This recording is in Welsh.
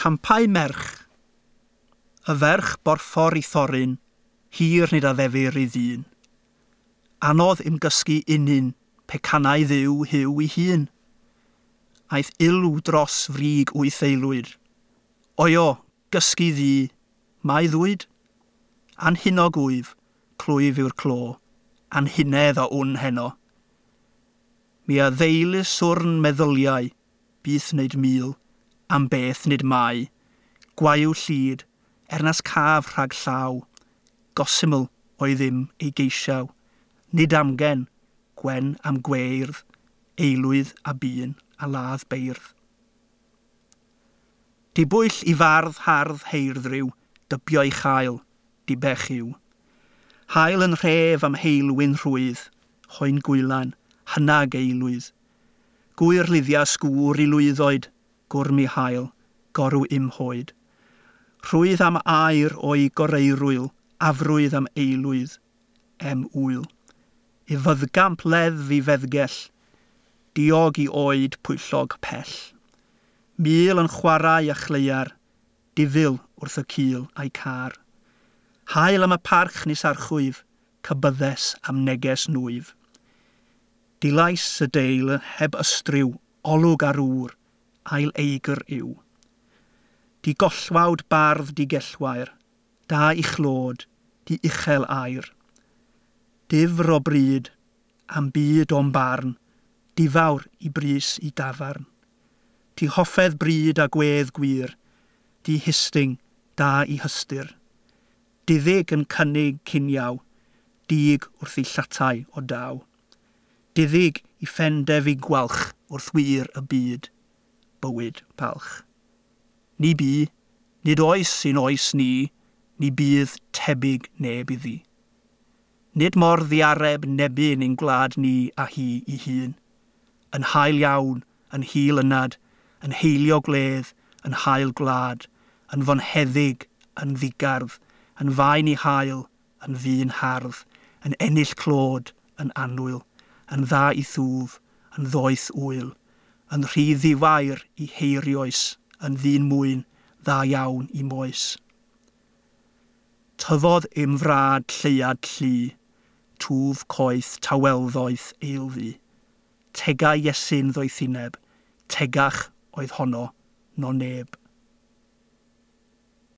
Campau merch. Y ferch borffor i thoryn, hir nid addefir i ddyn. Anodd imgysgu unun, pecanau ddiw hyw i hun. Aeth ilw dros frig wyth aelwyd. Oio, gysgu ddi, mae ddwyd. Anhunog wyf, clwyf yw'r clo, anhunedd a wn heno. Mi a ddeulu swrn meddyliau, byth wneud mil, am beth nid mai, gwayw llid, er nas caf rhag llaw, gosyml oedd ddim ei geisiaw, nid amgen, gwen am gweirdd, eilwydd a bun a ladd beirdd. Dibwyll i fardd hardd heirdryw, dybio ei chael, dibech yw. Hael yn rhef am heilwyn rhwydd, hoen gwylan, hynag eilwydd. Gwyr luddia sgŵr i lwyddoed, gwrm i hael, gorw im hoed. Rhwydd am air o'i goreirwyl, afrwydd am eilwydd, em wyl. I fyddgamp leddf i feddgell, diog i oed pwyllog pell. Mil yn chwarae a chleiar, difil wrth y cil a'i car. Hael am y parch nis archwyf, cybyddes am neges nwyf. Dilais y deil heb ystryw, olwg ar ŵr, ail eigr yw. Di gollwawd bardd di gellwair, da i chlod, di uchel air. Difr o bryd, am byd o'm barn, difawr i brys i dafarn. Di hoffedd bryd a gwedd gwir, di hysting, da i hystyr. Diddig yn cynnig ciniaw, dig wrth i llatau o daw. Diddig i ffendef i gwalch wrth wir y byd, bywyd palch. Ni bu, nid oes sy'n oes ni, ni bydd tebyg neb iddi. Nid mor ddiareb nebyn ein gwlad ni a hi i hun. Yn hael iawn, yn hil ynad, yn heilio gwledd, yn hael gwlad, yn fonheddig, yn ddigardd, yn faen i hael, yn ddyn hardd, yn ennill clod, yn annwyl, yn dda i thwf, yn ddoeth wyl, yn rhy ddiwair i heirioes, yn ddyn mwyn, dda iawn i moes. Tyfodd im frad lleuad llu, twf coeth tawelddoeth eilddu. Tegau Iesu'n ddoethineb, tegach oedd honno, no neb.